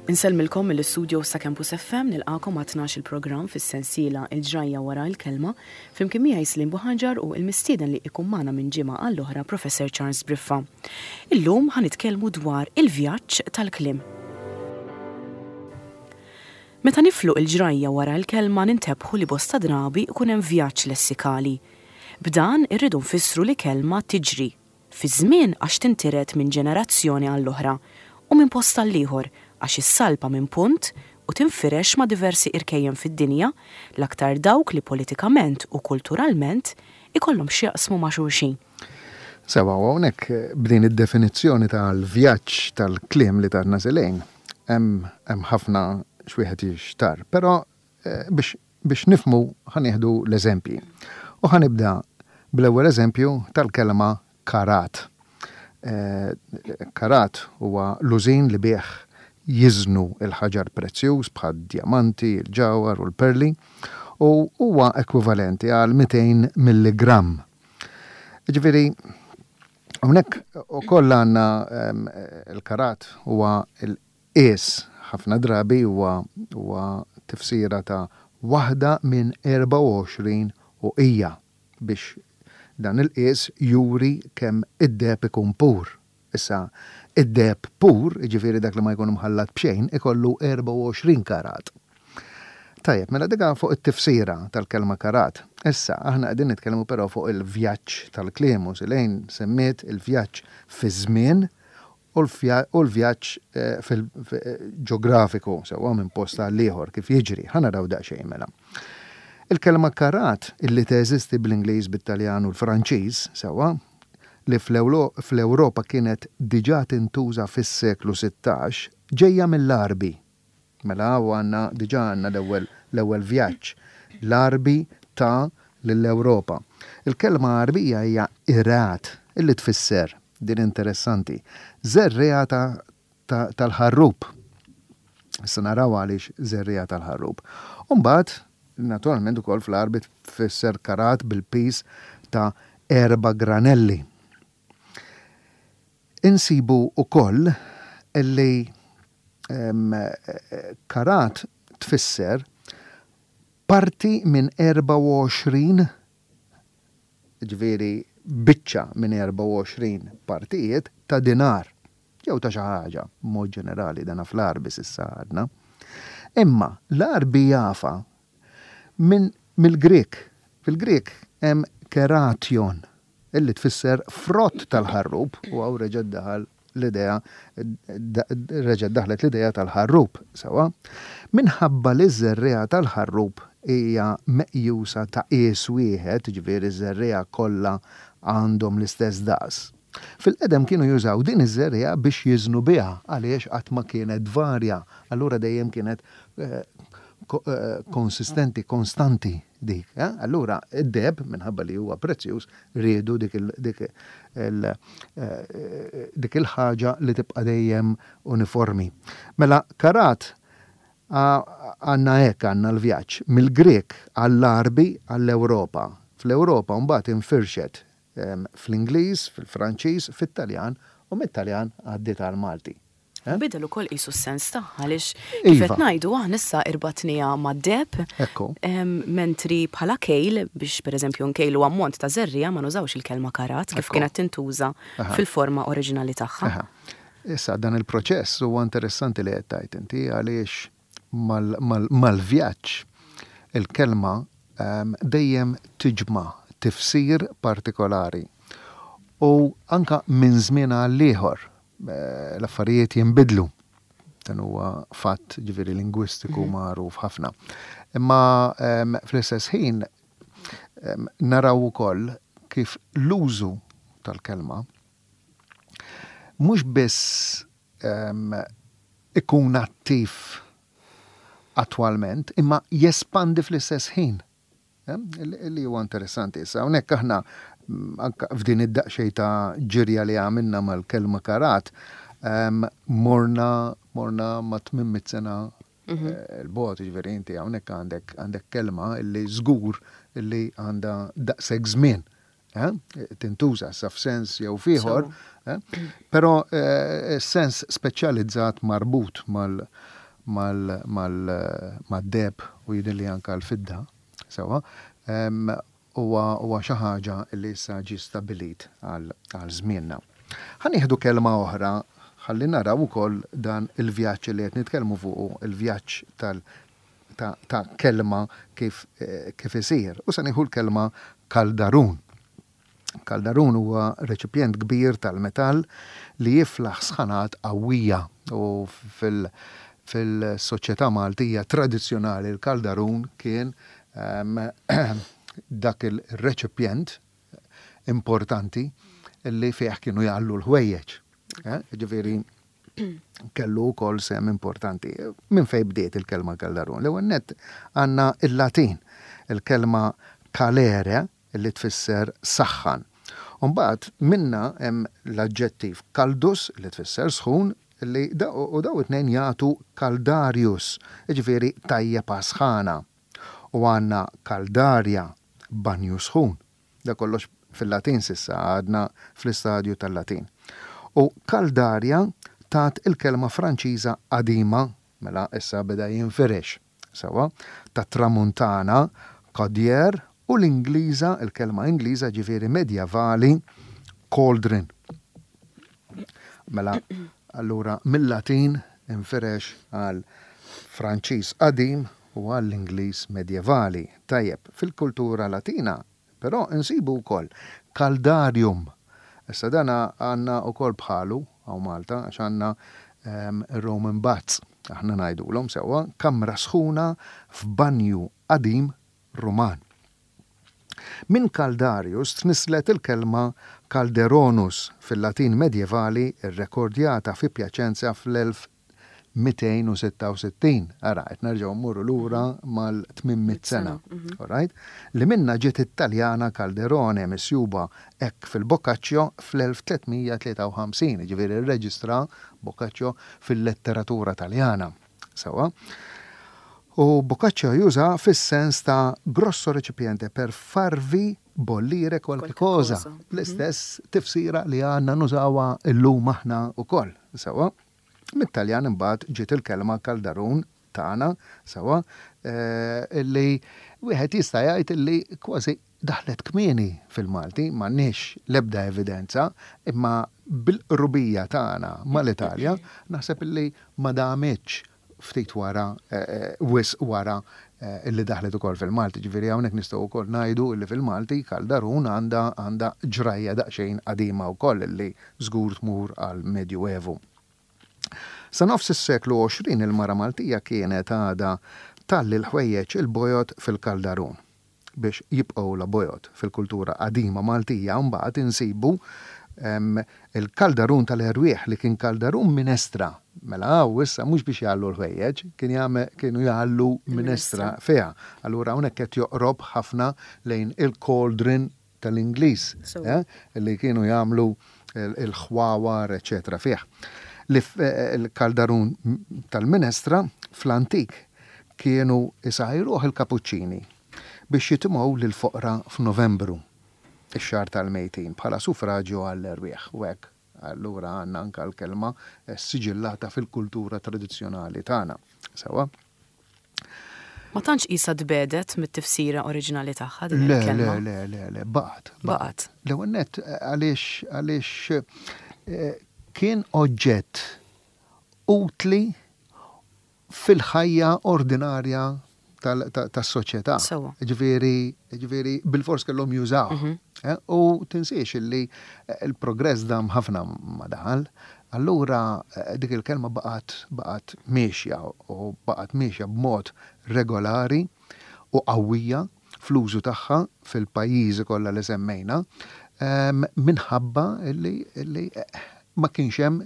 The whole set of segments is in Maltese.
Insellmilkom mill-istudios ta' Campus FM nilqakom għat-12 il-programm fis-sensiela Il-Ġrajja Wara l-Kelma, flimkien miegħi Slim Buħaġar u l-mistieden li ikun magħna minn ġimgħa għall-oħra Professor Charles Briffa. Illum ħa nitkellmu dwar il-vjaġġ tal-kliem. Meta niflu il-ġrajja wara l-kelma nintebħu li bosta drabi ikun hemm vjaġġ lessikali. B'dan irridu nfissru li kelma tiġri fiż-żmien għax tintiret minn ġenerazzjoni għall-oħra u minn post għall-ieħor għax issalpa minn punt u tinfirex ma' diversi irkejjen fid-dinja, l-aktar dawk li politikament u kulturalment ikollhom x'jaqsmu ma' xulxin. Sewwa, u hawnhekk b'din id-definizzjoni tal-vjaġġ tal-kliem li tatna Selene, hemm hemm ħafna x'wieħed jixtarr. Però biex biex nifhmu ħa nieħdu l-eżempji. U ħa nibda bl-ewwel eżempju tal-kelma karat. Karat huwa l-użin li bih jiżnu l-ħaġar prezzjuż bħad-djamanti, il-ġawhar u l-perli u huwa ekwivalenti għal 200 milligramm. Jiġifieri hawnhekk ukoll għandna l-karat huwa Qies, ħafna drabi huwa huwa tifsira ta' waħda minn 24 uqija biex dan il-qies juri kemm id-deheb ikun pur. Issa, id-deheb pur, jiġifieri dak li ma jkun imħallat b'xejn, ikollu 24 karat. Tajjeb, mela dik fuq it-tifsira tal-kelma karat. Issa, aħna qegħdin nitkellmu però fuq il-vjaġġ tal-kliem u Silejn semmiet il-vjaġġ fiż-żmien u l-vjaġġ ġeografiku, sewwa minn post għal ieħor kif jiġri. Ħa naraw daqsxejn mela. Il-kelma karat illi teżisti bl-Ingliż, bit-Taljan u l-Franċiż, sewwa, li fl-Ewropa kienet diġà tintuża fis-seklu 16, ġejja mill-Għarbi. Mela hawn għandna diġà għandna l-ewwel l-ewwel vjaġġ l-Għarbi ta lill-Ewropa. Il-kelma Għarbija hija irat illi tfisser, din interessanti, żerriegħa ta' ta' tal-ħarrub. Issa naraw għaliex żerriegħa tal-ħarrub. U mbagħad, naturalment ukoll fl-Għarbi tfisser karat bil-piż ta' erba' granelli. Insibu wkoll li karat tfisser parti minn 24, jiġifieri biċċa minn 24 partijiet ta' dinar, jew ta' xi ħaġa, b'mod ġenerali, dana fl-Għarbi s'issa għadna. Imma l-Għarbi jafha minn mill-Grieg. Fil-Grieg hemm keration, illi tfisser frott tal-ħarrub, u hawn reġgħet daħal l-idea reġgħet daħlet l-idea tal-ħarrub, sewwa? Minħabba li ż-żerriegħa tal-ħarrub hija meqjusa ta' qies wieħed, jiġifieri ż-żerriegħa kollha għandhom l-istess daqs, fil-qedem kienu jużaw din iż-żerriegħa biex jiżnu biha għaliex qatt ma kienet tvarja, allura dejjem kienet konsistenti, konstanti dik. Allura d-deheb, minħabba li huwa prezzjuż, riedu dik dik il-ħaġa li tibqa' dejjem uniformi. Mela karat għandna hekk għandna l-vjaġġ, mill-Grieg għall-Għarbi għall-Ewropa. Fl-Ewropa mbagħad infirxet fl-Ingliż, fil-Franċiż, fit-Taljan u mit-Taljan għaddiet għall-Malti. Bidel ukoll qisu s-sens tagħha għaliex kif qed ngħidu aħna issa irbatniha mad-deheb. Ekku. Mentri bħala kejl biex pereżempju nkejlu ammont ta' żerriegħa ma nużawx il-kelma karat kif kienet tintuża fil-forma oriġinali tagħha. Issa dan il-proċess huwa interessanti li qed tgħid inti għaliex mal-vjaġġ il-kelma dejjem tiġma' tifsir partikolari u anke minn żmien għal ieħor L-affarijiet jinbidlu. Dan huwa fatt ġifieri lingwistiku mhm. magħruf ħafna. Imma fl-istess ħin naraw ukoll kif l-użu tal-kelma mhux biss ikun attiv attwalment, imma jespandi fl-istess ħin. Li huwa interessanti issa. Hawnhekk aħna anke f'din id-daqsxejn ta' ġirja li għamilna mal-kelma karat, morna morna ma' 800 sena mhm. eh, l-bogħod, jiġifieri inti hawnhekk għandek għandek kelma li żgur li għandha daqshekk żmien. Eh, tintuża sa f'sens jew f'ieħor, eh, però sens speċjalizzat marbut mal- mad-deheb u jidhirli anke l-fidda, sewwa, huwa huwa xi ħaġa li issa ġie stabbilit għal għal żmienna. Ħa nieħdu kelma oħra ħalli naraw ukoll dan il-vjaġġ li qed nitkellmu fuqu, il-vjaġġ tal ta' ta' kelma kif kif isir. U se nieħu l-kelma kaldarun. Kaldarun huwa reċipjent kbir tal-metall li jiflaħ sħanat qawwija u fil fil-soċjetà Maltija tradizzjonali l-kaldarun kien dak il-reċipjent importanti li fih kienu jgħallu l-ħwejjeġ. Ġifieri kellu wkoll sehem importanti. Minn fejn bdiet il-kelma kaldarun? L-ewwel nett għandna l-Latin, il-kelma calere li tfisser saħħan. U mbagħad minnha hemm l-aġġettiv caldus li tfisser sħun li u dawn it-tnejn jagħtu caldarius, jiġifieri tajjeb għas-sħana. U għandna caldaria, banju sħun. Da kollox fil-Latin s'issa, għadna fl-istadju tal-Latin. U caldaria tat il-kelma Franċiża qadima, mela issa beda jinfirex. Sewwa, tat-Tramuntana, caudière, u l-Ingliża, il-kelma Ingliża ġifieri medjevali, cauldron. Mela, allura mil-Latin infirex għal Franċiż qadim u għall-Ingliż medjevali. Tajjeb, fil-kultura Latina Però insibu wkoll caldarium. Issa dan għandna wkoll bħalu hawn Malta għax għandna ir-Roman baths, aħna ngħidulhom sewwa, kamra sħuna f'banju qadim Ruman. Minn caldarius tnisslet il-kelma calderonus fil-Latin medjevali rrekordjata fi Piacenza fl-1000 266, ara, qed nerġgħu mmorru lura mal-800 sena, all right? Li minnha ġiet it-Taljana Calderone misjuba hekk fil-Boccaccio fl-1353, jiġifieri rreġistra Boccaccio fil-letteratura Taljana. Sewwa. U Boccaccio juża fis-sens ta' grosso recipiente per farvi bollire qualche cosa, l-istess tifsira li għandna nużawha llum aħna wkoll. Sewwa. Mit-Taljan imbagħad ġiet il-kelma kaldarun tagħna, sewwa, illi wieħed jista' jgħid illi kważi daħlet kmieni fil-Malti, m'għandniex l-ebda evidenza, imma bil-qrubija tagħna mal-Italja naħseb illi ma damitx ftit wara, wisq wara illi daħlet ukoll fil-Malti. Ġifieri hawnhekk nistgħu wkoll ngħidu illi fil-Malti kaldarun għandha għandha ġrajja daqsxejn qadima wkoll illi żgur tmur għall-Medjuevu. Sa nofs is-seklu 20 il-mara Maltija kienet għadha tgħalli l-ħwejjeġ il-bojod fil-kaldarun biex jibqgħulha bojod. Fil-kultura qadima Maltija mbagħad insibu il-kaldarun tal-erwieħ li kien kaldarun minestra. Mela hawn issa mhux biex jgħallu l-ħwejjeġ, kien jagħmel kienu jgħallu minestra fiha. Allura hawnhekk qed joqrob ħafna lejn il-cauldron tal-Ingliż li kienu jagħmlu l-ħwawar eċċetera fih. Li l-kaldarun tal-minestra fl-antik kienu jsajruh il-kapuċċini biex jitimgħu lill-foqra f'Novembru, ix-xahar tal-mejtin, bħala sufraġju għall-erwieħ u hekk allura għandna anke l-kelma ssiġillata fil-kultura tradizzjonali tagħna. Sewwa? Ma tantx qisha tbiegħdet mit-tifsira oriġinali tagħha din il-kelma. Le, le, le, le, baqgħet. Baqgħet. L-ewwel nett għaliex għaliex kien oġġett utli fil-ħajja ordinarja tas-soċjetà. Sewwa. Ġifieri, ġifieri bilfors kellhom jużawh. U tinsiex illi l-progress dam ħafna ma daħal. Allura dik il-kelma baqgħet baqgħet miexja u baqgħet miexja b'mod regolari u qawwija fl-użu tagħha fil-pajjiżi kollha li semmejna minħabba li li ma kienx hemm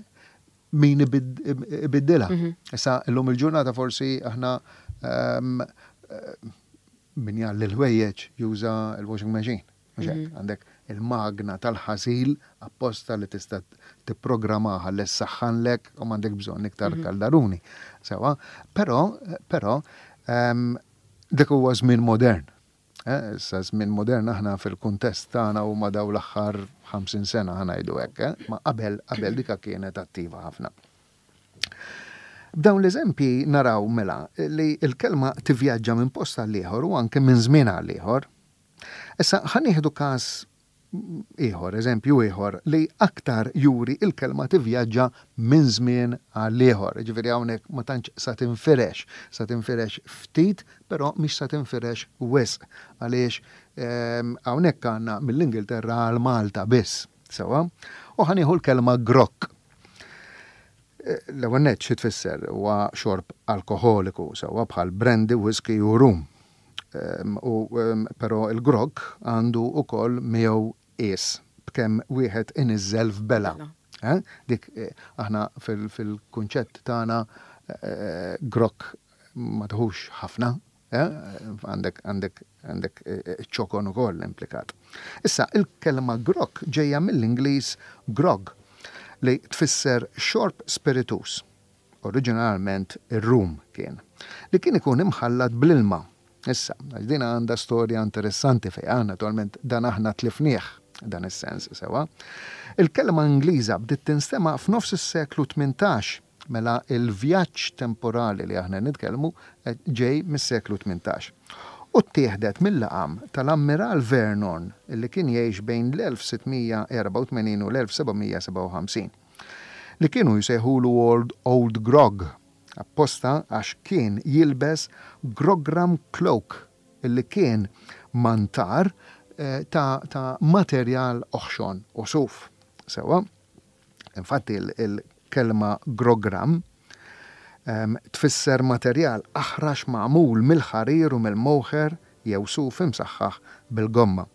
min ibiddilha. Issa llum il-ġurnata forsi aħna min jgħalli l-ħwejjeġ juża l-washing machine. Mhux hekk, għandek il-magna tal-ħasil apposta li tista' tipprogrammaha li ssaħħanlek u m'għandek bżonn iktar kaldaruni. Sewwa, però, però dik huwa żmien modern. Issa żmien modern aħna fil-kuntest tagħna huma dawn l-aħħar 50 sena ħa ngħidu hekk, ma qabel qabel dika kienet attiva ħafna. B'dawn l-eżempji naraw mela li l-kelma tivvjaġġa minn post għal ieħor u anke minn żmien għal ieħor. Issa ħa nieħdu każ ieħor, eżempju ieħor li aktar juri l-kelma tivvjaġġa minn żmien għal ieħor. Jiġifieri hawnhekk ma tantx sa tinfirex, sa tinfirex ftit però mhix sa tinfirex wisq għaliex hawnhekk għandna mill-Ingilterra għal Malta biss. Sewwa? U ħa nieħu l-kelma grokk. L-ewwel nett xi tfisser? Huwa xorb alkoħoliku, sewwa bħal brandy, whisky u rum. U però l-grog għandu wkoll miegħu qies b'kemm wieħed iniżżel f'bela. Dik aħna fil-kunċett tagħna grog ma tieħux ħafna, Għandek għandek għandek ċokon ukoll implikat. Issa, il-kelma grokk ġejja mill-Ingliż grog li tfisser xorb spirituż. Oriġinalment ir-rum kien. Li kien ikun imħallat bl-ilma. Issa, għax din għandha storja interessanti fiha, naturalment dan aħna tlifnieh dan is-sens sewwa. Il-kelma Ingliża bdiet tinstema' f'nofs is-seklu 18 Mela l-vjaġġ temporali li aħna nitkellmu ġej mis-seklu 18. U ttieħdet mil-laqam tal-Ammiral Vernon li kien jgħix bejn l-1684 u l-1757. Li kienu jsejħulu Old Old Grog, apposta għax kien jilbes grogram cloak li kien mantar ta' ta' materjal oħxon u suf. Sewwa? Infatti l-kelma grogram tfisser materjal aħrax magħmul mill-ħarir u mill-moħer jew suf imsaħħaħ bil-gomma.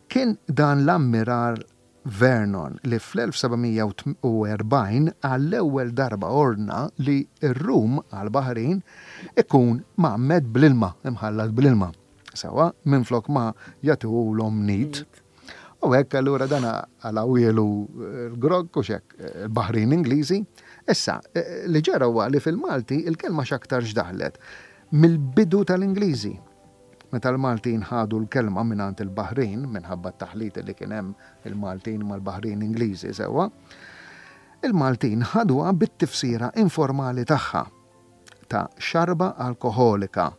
Kien dan l-Ammiral Vernon li fl-1740 għall-ewwel darba ordna li r-rum għall-baħrin ikun mgħammed bl-ilma, imħallat bl-ilma, sewwa, minflok ma jagħtuhulhom neat. U hekk allura dan għalawielu l-grog u x'hekk, il-baħrin Ingliżi. Issa, li ġara huwa li fil-Malti il-kelma x'aktarx daħlet mill-bidu tal-Ingliżi. Meta l-Maltin ħadu l-kelma mingħand il-baħrin, minħabba t-taħlit li kien hemm il-Maltin mal-baħrin Ingliżi sewwa, il-Maltin ħaduha bit-tifsira informali tagħha ta' xarba alkoħolika,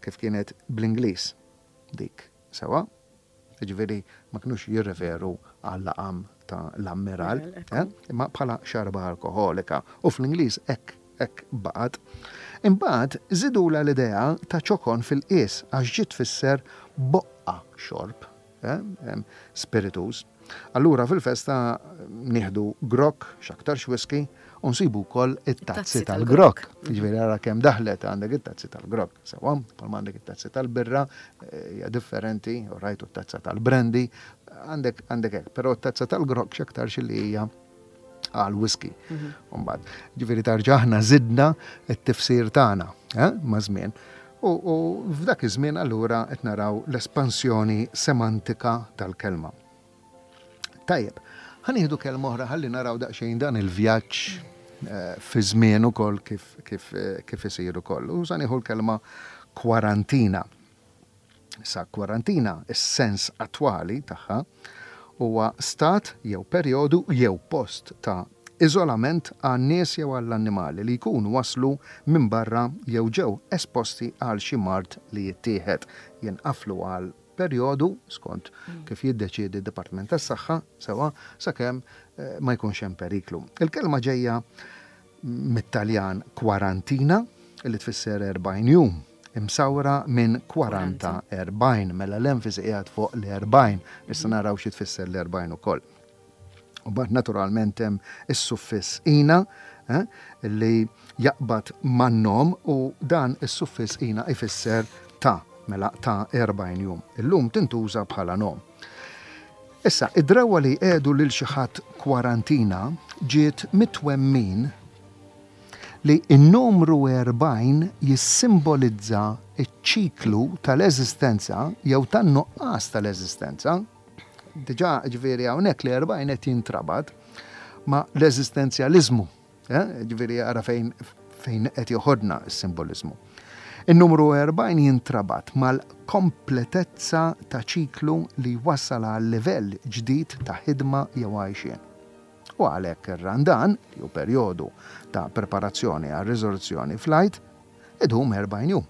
kif kienet bl-Ingliż dik, sewwa. Jiġifieri ma kinux jirreferu għal-laqam ta' l-ammiral, eh, imma bħala xarba alkoħolika. U fl-Ingliż hekk hekk baqgħet. Imbagħad żidulha l-idea ta' ċokon fil-qies għax ġiet tfisser boqqa xorb, eh, spirituż. Allura fil-festa nieħdu grokk, x'aktarx whisky, u nsibu wkoll it-tazzi tal-grokk. Jiġifieri ara kemm daħlet għandek it-tazzi tal-grokk. Sewwa, bħalma għandek it-tazzi tal-birra, eh, hija differenti, u rajtu t-tazza tal-brandy, għandek għandek hekk, però t-tazza tal-grokk x'aktarx li hija għal whisky. Mhm. Mbagħad, ġifieri tarġa' aħna żidna t-tifsir tagħna eh, ma' żmien. U f'dak iż-żmien allura qed naraw l-espansjoni semantika tal-kelma. Tajjeb, ħa nieħdu kelma oħra ħalli naraw daqsxejn dan il-vjaġġ eh, fi żmien ukoll kif, kif, eh, kif isir ukoll. U sa nieħu l-kelma kwarantina. Sa kwarantina, is-sens attwali tagħha huwa stat jew perjodu jew post ta' iżolament għan-nies jew għall-annimali li jkunu waslu minn barra jew ġew esposti għal xi mard li jittieħed, jinqaflu għal perjodu, skont kif jiddeċiedi d-Dipartiment tas-Saħħa, sewwa, sakemm ma jkunx hemm periklu. Il-kelma ġejja mit-Taljan quarantina, li tfisser 40 jum, imsawra minn 40 40, mela l-enfasi qiegħed fuq l-40, issa naraw xi tfisser l-40 ukoll. U mbagħad naturalment hemm is-suffiss ina eh, li jaqbad man-nom u dan is-suffiss ina ifisser ta' mela ta' 40 jum. Illum tintuża bħala nom. Issa, id-drawwa li jqiegħdu lil xi ħadd kwarantina ġiet mit-twemmin li n-numru 40 jissimbolizza ċ-ċiklu tal-eżistenza jew tan-nuqqas tal-eżistenza. Diġà, ġifieri hawnhekk l-40 qed jintrabat ma' l-eżistenzjaliżmu. Eh? Ġifieri ara fejn fejn qed joħodna s-simboliżmu. In-numru 40 jintrabat mal-kompletezza ta' ċiklu li jwassal għal livell ġdid ta' ħidma jew għajxien. U għalhekk ir-Randan, li hu perjodu ta' preparazzjoni għar-riżorzzjoni fl-Għid, idum 40 jum.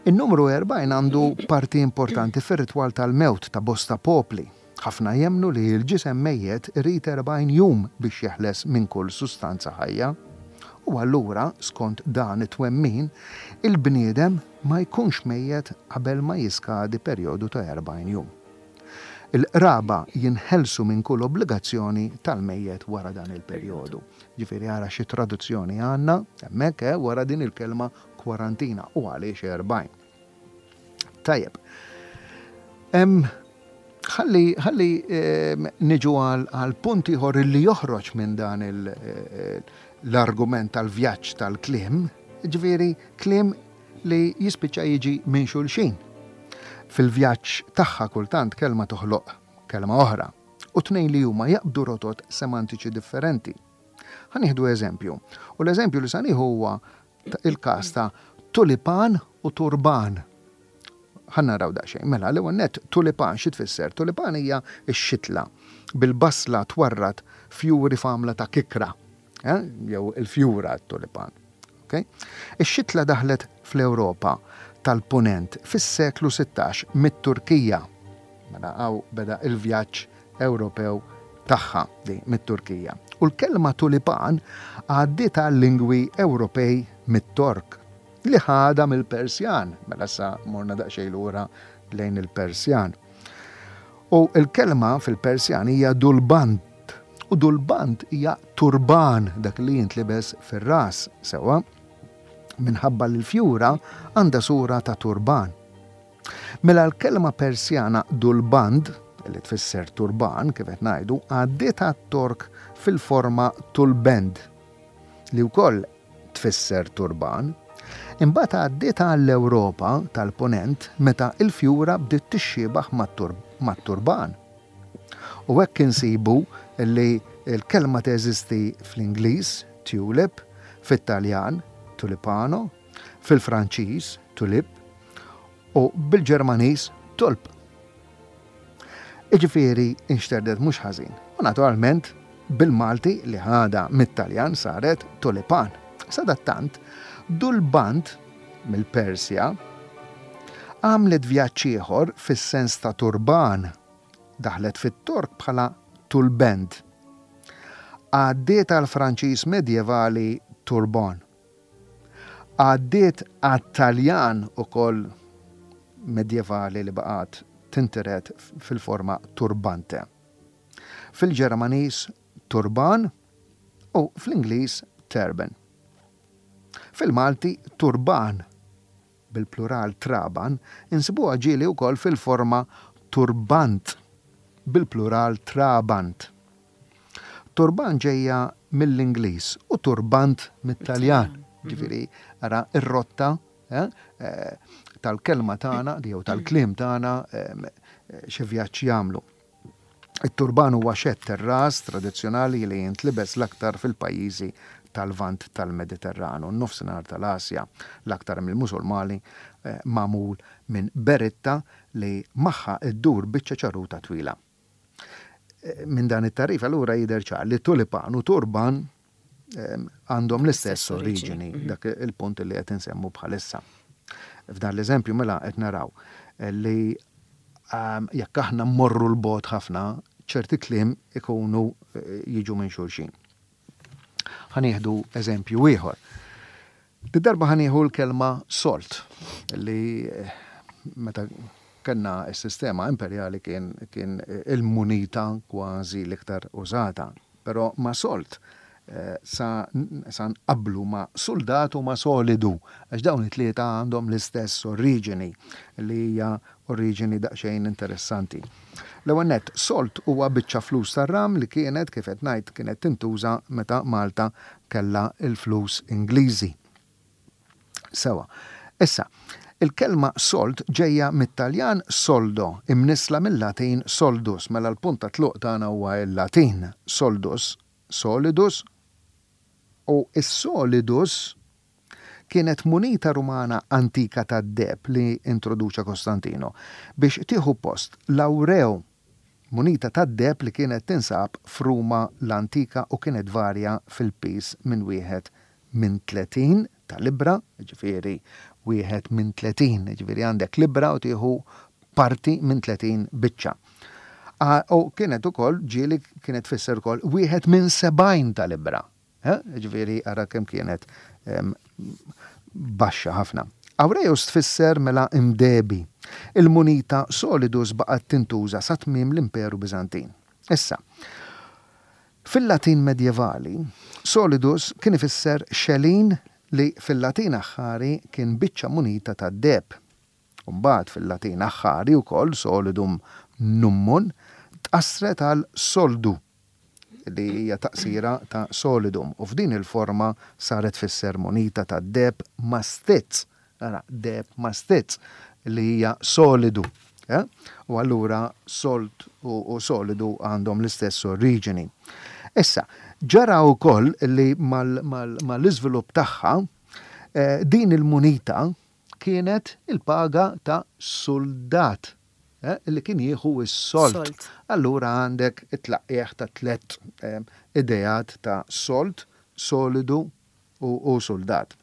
In-numru 40 għandu parti importanti fir-ritwal tal-mewt ta' bosta popli. Ħafna jemmnu li l-ġisem mejjet irid 40 jum biex jeħles minn kull sustanza ħajja. U allura, skont dan it-twemmin, il-bniedem ma jkunx mejjet qabel ma jiskadi perjodu ta' 40 jum. Il-qraba jinħelsu minn kull obbligazzjoni tal-mejjet wara dan il-perjodu. Ġifieri ara xi traduzzjoni għandna hemmhekk, eh, wara din il-kelma kwarantina u għaliex 40. Tajjeb. Ħalli ħalli niġu għal punt ieħor li joħroġ minn dan eh, l-argument tal-vjaġġ tal-kliem, ġifieri kliem li jispiċċa jiġi minn xulxin. Fil-vjaġġ tagħha kultant kelma toħloq kelma oħra u tnejn li huma jaqbdu rotot semantiċi differenti. Ħa nieħdu eżempju. U l-eżempju li sa nieħu huwa il-każ ta' tulipan u turban. Ħa naraw daqsxejn. Mela, l-ewwel nett tulipan xi tfisser? Tulipan hija x-xitla bil-basla twarrad fjuri f'għamla ta' kikra. Eh? Jew il-fjura tulipan. Okay? Ix-xitla daħlet fl-Ewropa tal-Punent fis-seklu 16 mit-Turkija. Mela hawn beda il-vjaġġ Ewropew tagħha di mit-Turkija. U l-kelma tulipan għaddiet għal-lingwi Ewropej mit-Tork li ħadha mill-Persjan. Mela sa morna daqsxejn lura lejn il-Persjan. U l-kelma fil-Persjan hija dulbant. U dulbant hija turban dak li jintlibes fir-ras sewwa minħabba li l-fjura għandha sura ta' turban. Mela l-kelma Persjana dulband, li tfisser turban, kif qed ngħidu, għaddiet għat-Tork fil-forma tulbend, li wkoll tfisser turban. Imbagħad għaddiet għall-Ewropa tal-Punent meta l-fjura bdiet tixxiebaħ mat-turban. U hekk insibu li l-kelma teżisti fl-Ingliż, tulip, fit-Taljan, tulipano, fil-Franċiż, tulipe, u bil-Ġermaniż, tulp. Jiġifieri inxterdet mhux ħażin. U naturalment bil-Malti li ħadha mit-Taljan saret tulipan. Sadattant, dulbant mill-Persja għamlet vjaġġ ieħor fis-sens ta' turban. Daħlet fit-Tork bħala tulbend. Għaddiet għall-Franċiż medjevali turban. Għaddiet għat-Taljan ukoll medjevali li baqgħet tintiret fil-forma turbante. Fil-Ġermaniż turban u fl-Ingliż turban. Fil-Malti turban, bil-plural traban, insibuha ġieli wkoll fil-forma turbant, bil-plural trabant. Turban ġejja mill-Ingliż u turbant mit-Taljan. Ġifieri ara r-rotta eh, eh, tal-kelma tagħna jew tal-kliem tagħna eh, xi vjaġġ jagħmlu. It-turban huwa xedd ir-ras tradizzjonali li jintlibes l-aktar fil-pajjiżi tal-Lvant tal-Mediterran u n-Nofsinhar tal-Asja, l-aktar mill-Musulmani, magħmul minn beritta li magħha ddur biċċa ċaruta twila. Minn dan it-tagħrif allura jidher ċar li tulipan u turban għandhom l-istess oriġini, dak il-punt li qed insemmu bħalissa. F'dan l-eżempju mela qed naraw li jekk aħna mmorru 'l bogħod ħafna, ċerti kliem ikunu jiġu minn xulxin. Ħa nieħdu eżempju ieħor. Did-darba ħa nieħu l-kelma solt li meta kellna s-sistema imperjali kien kien il-munita kważi l-iktar użata. Però ma' solt sa sa nqabblu ma' suldat u ma' solidu għax dawn it-tlieta għandhom l-istess oriġini li hija oriġini daqsxejn interessanti. L-ewwel nett, solt huwa biċċa flus tar-ram li kienet, kif qed ngħid, kienet tintuża meta Malta kellha l-flus Ingliżi. Sewwa. Issa, il-kelma sold ġejja mit-Taljan soldo, imnissla mil-Latin soldus, mela l-punt ta' tluq tagħna huwa l-Latin soldus, solidus, u s-solidus kienet munita Rumana antika tad-deheb li introduċa Kostantino biex tieħu post l-awreu. Munita tad-deheb li kienet tinsab f'Ruma l-antika u kienet tvarja fil-piż minn wieħed minn 30 ta' libbra, jiġifieri wieħed minn 30, jiġifieri għandek libbra u tieħu parti minn 30 biċċa. U kienet ukoll ġieli kienet tfisser ukoll wieħed minn 70 ta' libbra. Jiġifieri ara kemm kienet baxxa ħafna. Aureus tfisser mela imdehbi. Il-munita solidus baqgħet tintuża sa tmiem l-Imperu Biżantin. Issa, fil-Latin medjevali, solidus kien ifisser xelin li fil-Latin aħħari kien biċċa munita tad-deheb. U mbagħad fil-Latin aħħari wkoll solidum nummun tqassret għal soldu. li hija taqsira ta' solidum, u f'din il-forma saret tfisser munita tad-deheb mastizz, ara, deheb mastizz, li hija solidu. Eh? U allura sold u solidu għandhom l-istess oriġini. Issa, ġara wkoll li mal-iżvilupp tagħha eh, din il-munita kienet il-paga ta' suldat li kien jieħu s-sold. Allura għandek it-tlaqqigħ ta' tlett ideat ta' sold, solidu u suldat.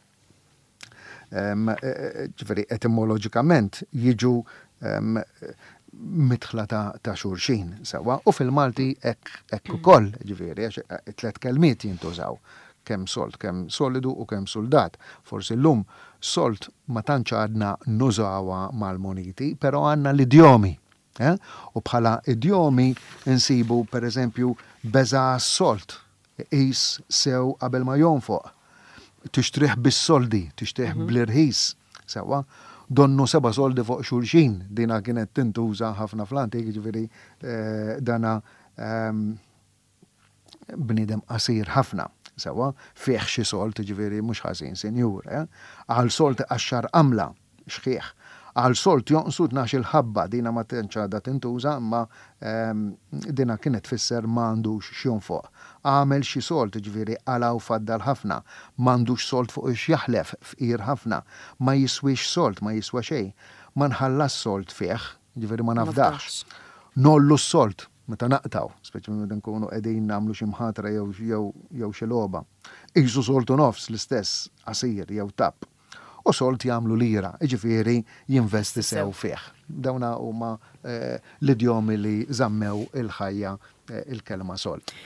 Ġifieri etimoloġikament jiġu midħla ta' xulxin sewwa u fil-Malti hekk ukoll, ġifieri għax it-tlett kelmiet jintużaw kemm sold, kemm solidu u kemm suldat. Forsi llum sold ma tantx għadna nużawha mal-muniti, però għandna l-idjomi. Eh? U bħala idjomi nsibu pereżempju beża' għas-sold, iqis sew qabel ma jonfoq, tixtrih bis-soldi, tixtrih mhm. bl-irħis, sewwa. Donnu seba' soldi fuq xulxin, dina kienet tintuża ħafna fl-antik, ġifieri eh, dana ehm, bniedem qasir ħafna, sewwa, fih xi sold, jiġifieri mhux ħażin, sinjur, eh? Għal sold iqaxxar qamla, xħiħ. Għal sold jonqsu tnax-il ħabba, dina ma tantx għadha tintuża imma dina kienet tfisser ma għandux x'jonfoq. Għamel xi sold, jiġifieri qala' u faddal ħafna. M'għandux sold fuq ix jaħlef, fqir ħafna. Ma jiswiex sold, ma jiswa xejn. Ma nħallasx sold fih, jiġifieri ma nafdax. Ngħollu s-sold, Meta naqtgħu, speċjalment meta nkunu qegħdin nagħmlu xi mħatra jew jew jew xi logħba. Qisu sold u nofs l-istess qasir jew tapp. U sold jagħmlu lira, jiġifieri jinvesti sew fih. Dawna huma l-idjomi li żammew il-ħajja il-kelma sold.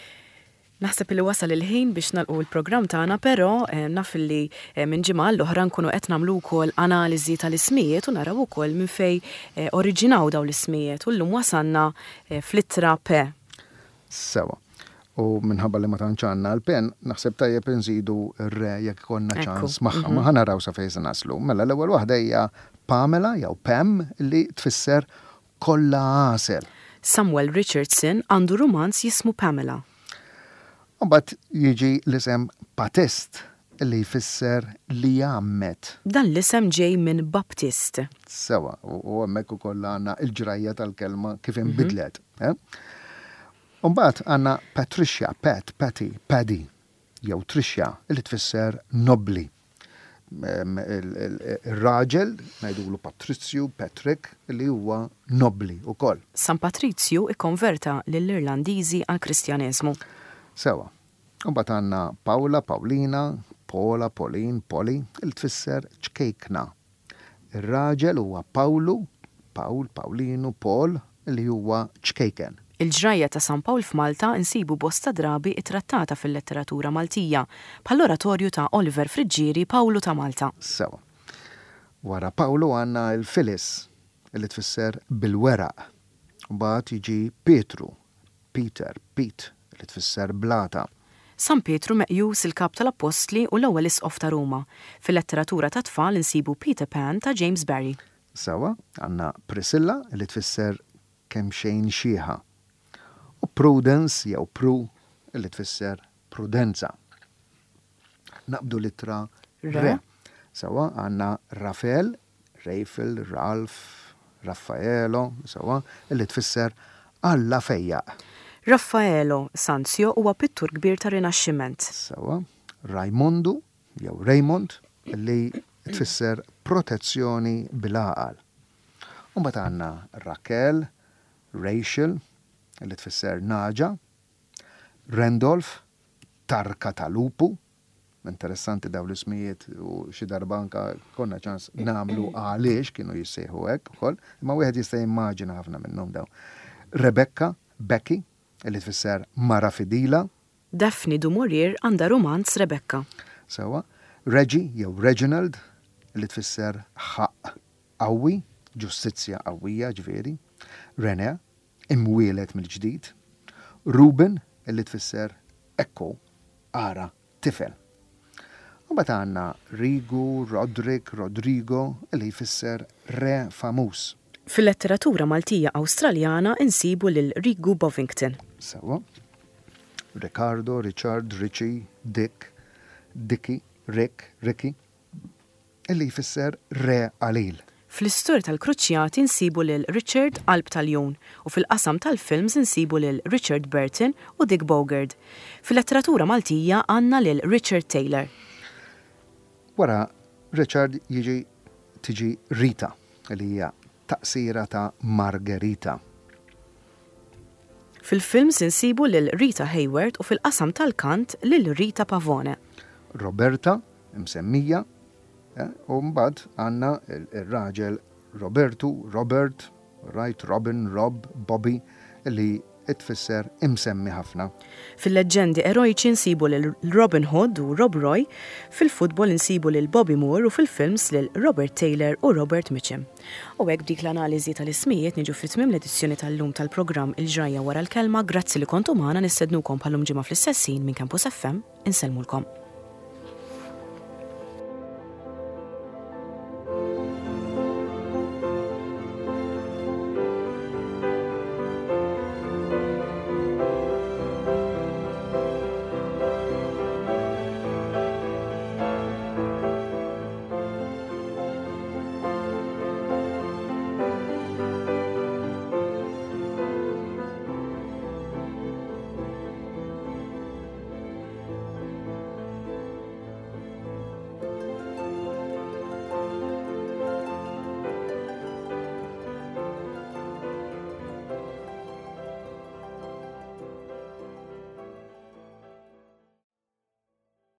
Naħseb illi wasal il-ħin biex nagħlqu l-programm tagħna però naf illi minn ġimgħa għall-oħra nkunu qed nagħmlu wkoll analiżi tal-ismijiet u naraw ukoll minn fejn oriġinaw dawn l-ismijiet u llum wasalna fl-ittra P. Sewwa. U minħabba li ma tantx għandna l-pen, naħseb tajjeb inżidu r-re jekk ikollna ċans magħha. Ma ħa naraw sa fejn se naslu. Mela l-ewwel waħda hija Pamela jew Pam li tfisser kollha għasel. Samuel Richardson għandu rumanz jismu Pamela. U mbagħad jiġi l-isem Patist li jfisser li jgħammed. Dan l-isem ġej minn Baptist. Sewwa, u hemmhekk ukoll għandna l-ġrajja tal-kelma kif inbidlet. U mbagħad għandna Patricia, Pat, Patty, Paddy. jew Trixja, li tfisser nobbli. Ir-raġel ngħidulu Patrizju, Patrick, li huwa nobbli wkoll. San Patrizju kkonverta lill-Irlandiżi għall-Kristjaneżmu. Sewwa. U mbagħad għandna Pawla, Pawlina, Paula, Pauline, Polly, li tfisser ċkejkna. Ir-raġel huwa Pawlu, Pawl, Pawlinu, Paul, li huwa ċkejken. Il-ġrajja ta' San Pawl f'Malta nsibu bosta drabi ttrattata fil-letteratura Maltija, bħall-oratorju ta' Oliver Friggieri Pawlu ta' Malta. Sewa. Wara Pawlu għandna l-Phyllis, li tfisser bil-weraq. Mbagħad jiġi Pietru, Peter, Pete, li tfisser blata. San Pietru meqjus il-kap tal-Appostli u l-ewwel isqof ta' Ruma. Fil-letteratura tat-tfal insibu Peter Pan ta' James Barrie. Sewwa, għandna Priscilla li tfisser kemxejn xiħa. U Prudence jew Pru li tfisser prudenza. Naqbdu l-ittra R. Sewwa, għandna Rafel, Rafel, Ralph, Raffaelo, sewwa, li tfisser Alla fejjaq. Raffaello Sanzio huwa pittur kbir tar-Rinaxximent. Sewwa, Rajmondu jew Raymond li tfisser protezzjoni bil-għaqal. U mbagħad għandna Raquel, Rachel. li tfisser nagħġa, Randolph, tarka ta' lupu, interessanti dawn l-ismijiet u xi darba anka konna ċans nagħmlu għaliex kienu jissejħu hekk ukoll, imma wieħed jista' jimmaġina ħafna minnhom dawn. Rebecca, Becky, li tfisser mara fidila. Daphne du Maurier għandha rumanz Rebecca. Sewwa. Reggie jew Reginald, li tfisser ħaqq qawwi, ġustizzja qawwija ġifieri. Renee, imwieled mill-ġdid. Reuben, li tfisser ekku, ara, tifel. U mbagħad għandna Rigu, Roderick, Rodrigo, li jfisser re famuż. Fil-letteratura Maltija Awstraljana nsibu lil Rigu Bovington. Sewwa. Ricardo, Richard, Richie, Dick, Dickie, Rick, Ricky, li jfisser re qalil. Fl-istorja tal-Kruċjati nsibu lil Richard Qalb ta' Ljun u fil-qasam tal-films insibu lil Richard Burton u Dick Bogard. Fil-letteratura Maltija għandna lil Richard Taylor. Wara Richard jiġi tiġi Rita li hija taqsira ta' Margherita. Fil-films insibu lil Rita Hayworth u fil-qasam tal-kant lil Rita Pavone. Roberta, imsemmija, U mbagħad għandna r-raġel Robertu, Robert, right, Robin, Rob, Bobby, li tfisser imsemmi ħafna. Fil-leġġendi erojċi nsibu lil Robin Hood u Rob Roy, fil-futbol insibu lil Bobby Moore u fil-films lil Robert Taylor u Robert Mitchum. U hekk b'dik l-analiżi tal-ismijiet niġu fi tmiem l-edizzjoni tal-lum tal-programm Il-Ġrajja Wara l-Kelma. Grazzi li kontu magħna, nistednukom bħal-lum ġimgħa fl-istess ħin minn Campus FM. Insellmulkom.